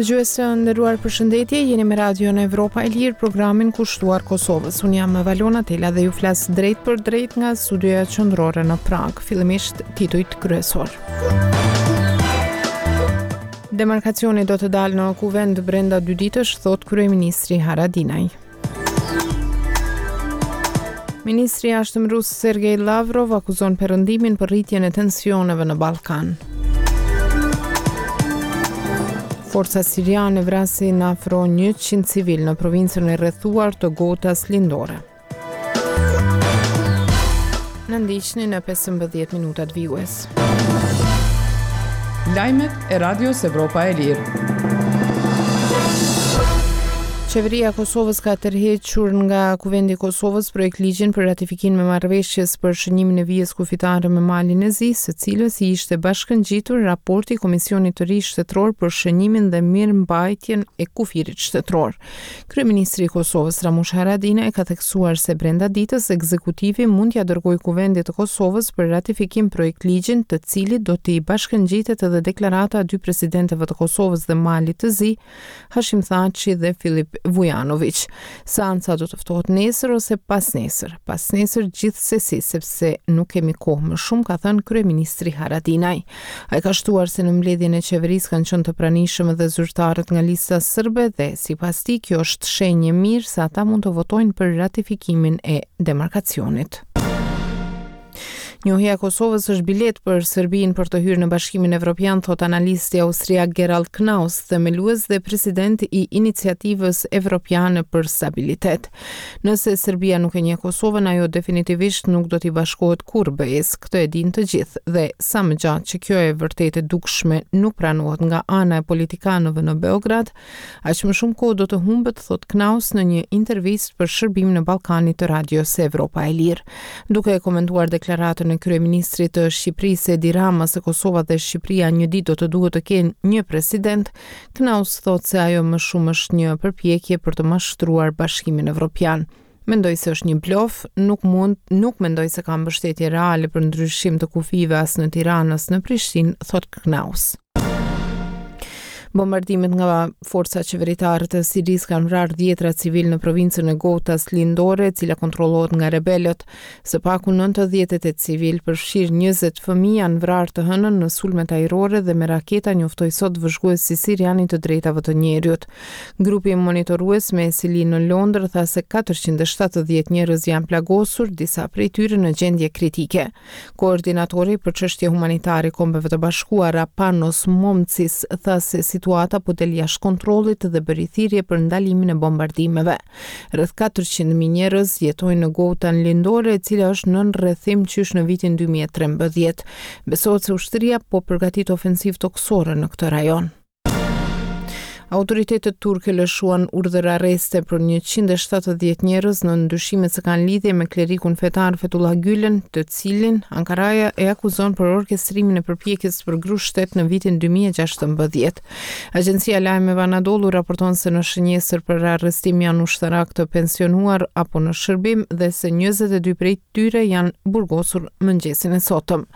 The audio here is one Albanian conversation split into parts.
Dëgjues të nderuar përshëndetje, jeni me Radion Evropa e Lirë, programin kushtuar Kosovës. Unë jam Valona Tela dhe ju flas drejtpërdrejt nga studioja qendrore në Pragë. Fillimisht titujt kryesorë. Demarkacioni do të dalë në kuvend brenda dy ditësh, thotë kryeministri Haradinaj. Ministri i Jashtëm rus Sergej Lavrov akuzon Perëndimin për rritjen e tensioneve në Ballkan. Forcat siriane vrasin afro 100 civilë në provincën e rrethuar të Gotas Lindore. Na ndiqni në 15 minutat vijuese. Lajmet e Radios Evropa e Lirë. Qeveria e Kosovës ka tërhequr nga Kuvendi i Kosovës projektligjin për ratifikimin e marrëveshjes për shënjimin e vijës kufitare me Malin e Zi, së cilës i ishte bashkëngjitur raporti i Komisionit të ri Shtetëror për shënjimin dhe mirëmbajtjen e kufirit shtetëror. Kryeministri i Kosovës, Ramush Haradinaj, ka theksuar se brenda ditës ekzekutivi mund t'ia dërgojë Kuvendit të Kosovës për ratifikim projektligjin, të cilit do t'i bashkëngjitet edhe deklarata e dy presidentëve të Kosovës dhe Malit të Zi, Hashim Thaçi dhe Filip Vujanoviq. Seanca do të ftohet nesër ose pasnesër. Pasnesër gjithsesi, sepse nuk kemi kohë më shumë, ka thënë kryeministri Haradinaj. Ai ka shtuar se në mbledhjen e qeverisë kanë qenë të pranishëm edhe zyrtarët nga Lista Sërbe dhe, sipas tij, kjo është shenjë e mirë se ata mund të votojnë për ratifikimin e demarkacionit. Njohja e Kosovës është biletë për Serbinë për të hyrë në Bashkimin Evropian, thotë analisti austriak Gerald Knaus, themelues dhe president i Iniciativës Evropiane për Stabilitet. Nëse Serbia nuk e njeh Kosovën, ajo definitivisht nuk do t'i bashkohet kurrë BE-së, këtë e dinë të gjithë, dhe sa më gjatë që kjo e vërtetë e dukshme nuk pranohet nga ana e politikanëve në Beograd, aq më shumë kohë do të humbet, thotë Knaus në një intervistë për shërbimin e Ballkanit të Radios Evropa e Lirë. Duke e komentuar deklaratën e kryeministrit të Shqipërisë Edi Rama se Kosova dhe Shqipëria një ditë do të duhet të kenë një president, Knaus thotë se ajo më shumë është një përpjekje për të mashtruar Bashkimin Evropian. Mendoj se është një blof, nuk mund, nuk mendoj se ka mbështetje reale për ndryshim të kufijve as në Tiranë as në Prishtinë, thotë Knaus. Bombardimet nga forcat qeveritare të Sirisë kanë vrarë dhjetra civilë në provincën e Gotas Lindore, e cila kontrollohet nga rebelët. Së paku 98 civilë, përfshirë 20 fëmijë, janë vrarë të hënën në sulmet ajrore dhe me raketa, njoftoi sot vëzhguesi sirian i të drejtave të njeriut. Grupi monitorues me seli në Londër tha se 470 njerëz janë plagosur, disa prej tyre në gjendje kritike. Koordinatori për çështje humanitare i Kombeve të Bashkuara, Panos Momtsis, tha se situata po del jashtë kontrollit dhe bëri thirrje për ndalimin e bombardimeve. Rreth 400.000 njerëz jetojnë në Goutan Lindore, e cila është nën rrethim qysh në vitin 2013. Besohet se ushtria po përgatit ofensivë tokësore në këtë rajon. Autoritetet turke lëshuan urdhër-arreste për 170 njerëz nën dyshimet se kanë lidhje me klerikun fetar Fethullah Gülen, të cilin Ankaraja e akuzon për orkestrimin e përpjekjes për grusht shtet në vitin 2016. Agjencia e lajmeve Anadolu raporton se në shënjestër për arrestim janë ushtarakë të pensionuar apo në shërbim dhe se 22 prej tyre janë burgosur mëngjesin e sotëm.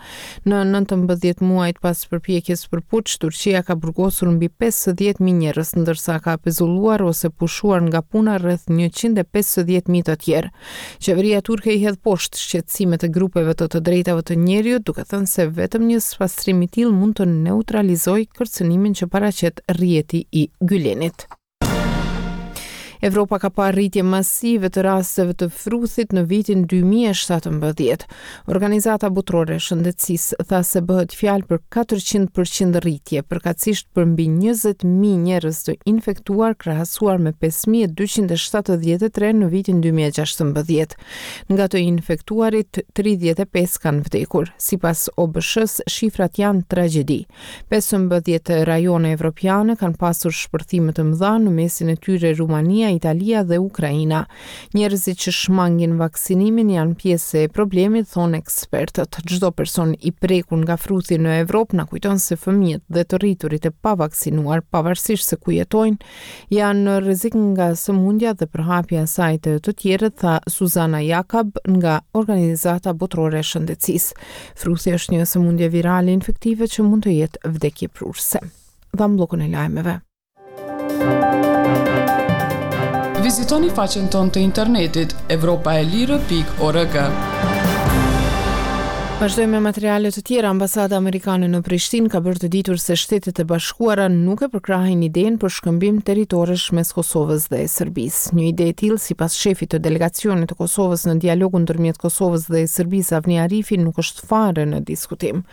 Në 19 muajt pas përpjekjes për puç, Turqia ka burgosur mbi 50.000 njerëz, ndërsa ka pezulluar ose pushuar nga puna rreth 150.000 të tjerë. Qeveria turke i hedh poshtë shqetësimet e grupeve të të drejtave të njeriut, duke thënë se vetëm një spastrim i tillë mund të neutralizojë kërcënimin që paraqet rrjeti i Gylenit. Evropa ka parë rritje masive të rasteve të fruthit në vitin 2017. Organizata Botërore e Shëndetësisë tha se bëhet fjalë për 400% rritje, përkatësisht për mbi 20.000 njerëz të infektuar krahasuar me 5.273 në vitin 2016. Nga të infektuarit, 35 kanë vdekur. Sipas OBSH-së, shifrat janë tragjedi. 15 rajone evropiane kanë pasur shpërthime të mëdha, në mesin e tyre Rumania, Italia dhe Ukraina. Njerëzit që shmangin vaksinimin janë pjesë e problemit, thonë ekspertët. Çdo person i prekur nga fruthi në Evropë na kujton se fëmijët dhe të rriturit e pavaksinuar, pavarësisht se ku jetojnë, janë në rrezik nga sëmundja dhe përhapja e saj te të tjerët, tha Suzana Jakab nga Organizata Botërore e Shëndetësisë. Fruthi është një sëmundje virale infektive që mund të jetë vdekjeprurëse. Dhamë bllokun e lajmeve. Vizitoni faqen tonë të internetit evropaelire.org. Vazhdojmë me materiale të tjera. Ambasada amerikane në Prishtinë ka bërë të ditur se Shtetet e Bashkuara nuk e përkrahin idenë për shkëmbim territoresh mes Kosovës dhe Serbisë. Një ide e tillë, sipas shefit të delegacionit të Kosovës në dialogun ndërmjet Kosovës dhe Serbisë, Avni Arifi, nuk është fare në diskutim.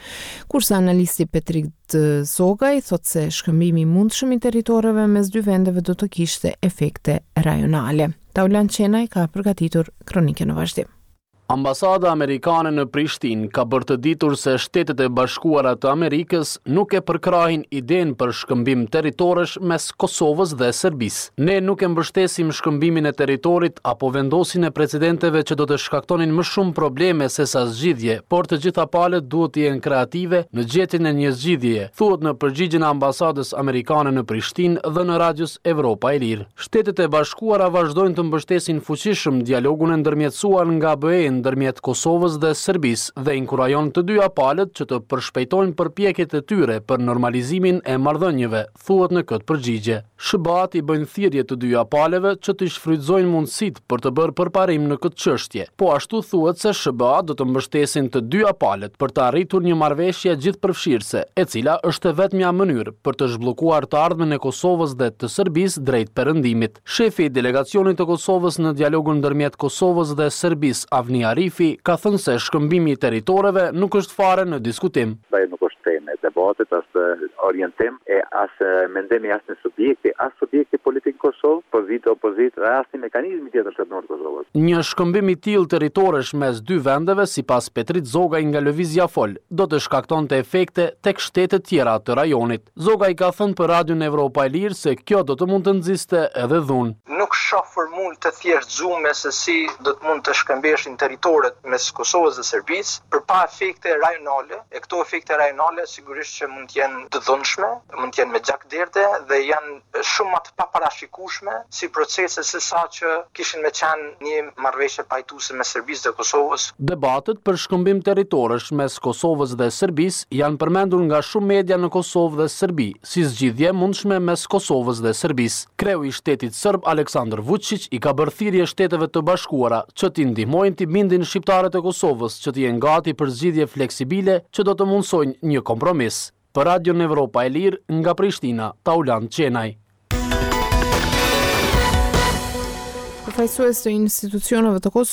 Kurse analisti Petrit Zogaj thotë se shkëmbimi i mundshëm i territoreve mes dy vendeve do të kishte efekte rajonale. Taulant Qenaj ka përgatitur kronikën në vazhdim. Ambasada amerikane në Prishtinë ka bërë të ditur se Shtetet e Bashkuara të Amerikës nuk e përkrahin idenë për shkëmbim territoresh mes Kosovës dhe Serbisë. Ne nuk e mbështesim shkëmbimin e territorit apo vendosjen e precedenteve që do të shkaktonin më shumë probleme sesa zgjidhje, por të gjitha palët duhet të jenë kreative në gjetjen e një zgjidhjeje, thuhet në përgjigjen e Ambasadës amerikane në Prishtinë dhënë Radios Evropa e Lirë. Shtetet e Bashkuara vazhdojnë të mbështesin fuqishëm dialogun e ndërmjetësuar nga BE ndërmjet Kosovës dhe Serbisë dhe inkurajon të dyja palët që të përshpejtojnë përpjekjet e tyre për normalizimin e marrëdhënieve, thuhet në këtë përgjigje. SHBA-të i bëjnë thirrje të dyja palëve që t'i shfrytëzojnë mundësitë për të bërë përparim në këtë çështje. Po ashtu thuhet se SHBA-të do të mbështesin të dyja palët për të arritur një marrëveshje gjithëpërfshirëse, e cila është e vetmja mënyrë për të zhbllokuar të ardhmen e Kosovës dhe të Serbisë drejt Perëndimit. Shefi i delegacionit të Kosovës në dialogun ndërmjet Kosovës dhe Serbisë, Avni Arifi, ka thënë se shkëmbimi i territoreve nuk është fare në diskutim. Ajo nuk është temë e debatit, as orientim e as mendim i asnjë subjekti, as subjekti politik në Kosovë, pozitë, opozitë dhe asnjë mekanizmi tjetër shtetëror të Kosovës. Një shkëmbim i tillë territoresh mes dy vendeve, sipas Petrit Zogaj nga Lëvizja Fol, do të shkaktonte efekte tek shtetet tjera të rajonit. Zogaj ka thënë për Radion Evropa e Lirë se kjo do të mund të nxiste edhe dhunë. Nuk shoh formulë të thjeshtëzume se si do të mund të shkëmbeheshin territoret mes Kosovës dhe Serbisë, por pa efekte rajonale, e këto efekte rajonale sigurisht që mund të jenë të dhunshme, mund të jenë me gjakderdhje dhe janë shumë ma të paparashikueshme si procese se sa që kishin me qenë një marrëveshje pajtuese mes Serbisë dhe Kosovës. Debatet për shkëmbim territoresh mes Kosovës dhe Serbisë janë përmendur nga shumë media në Kosovë dhe Serbi, si zgjidhje e mundshme mes Kosovës dhe Serbisë. Kreu i shtetit serb Aleksandër Vuçiq i ka bërë thirrje Shteteve të Bashkuara që t'i ndihmojnë t'i bindin shqiptarët e Kosovës që të jenë gati për zgjidhje fleksibile që do të mundësojnë një kompromis. Për Radion Evropa e Lirë, nga Prishtina, Taulant Qenaj. Përfaqësues të institucioneve të Kosovës.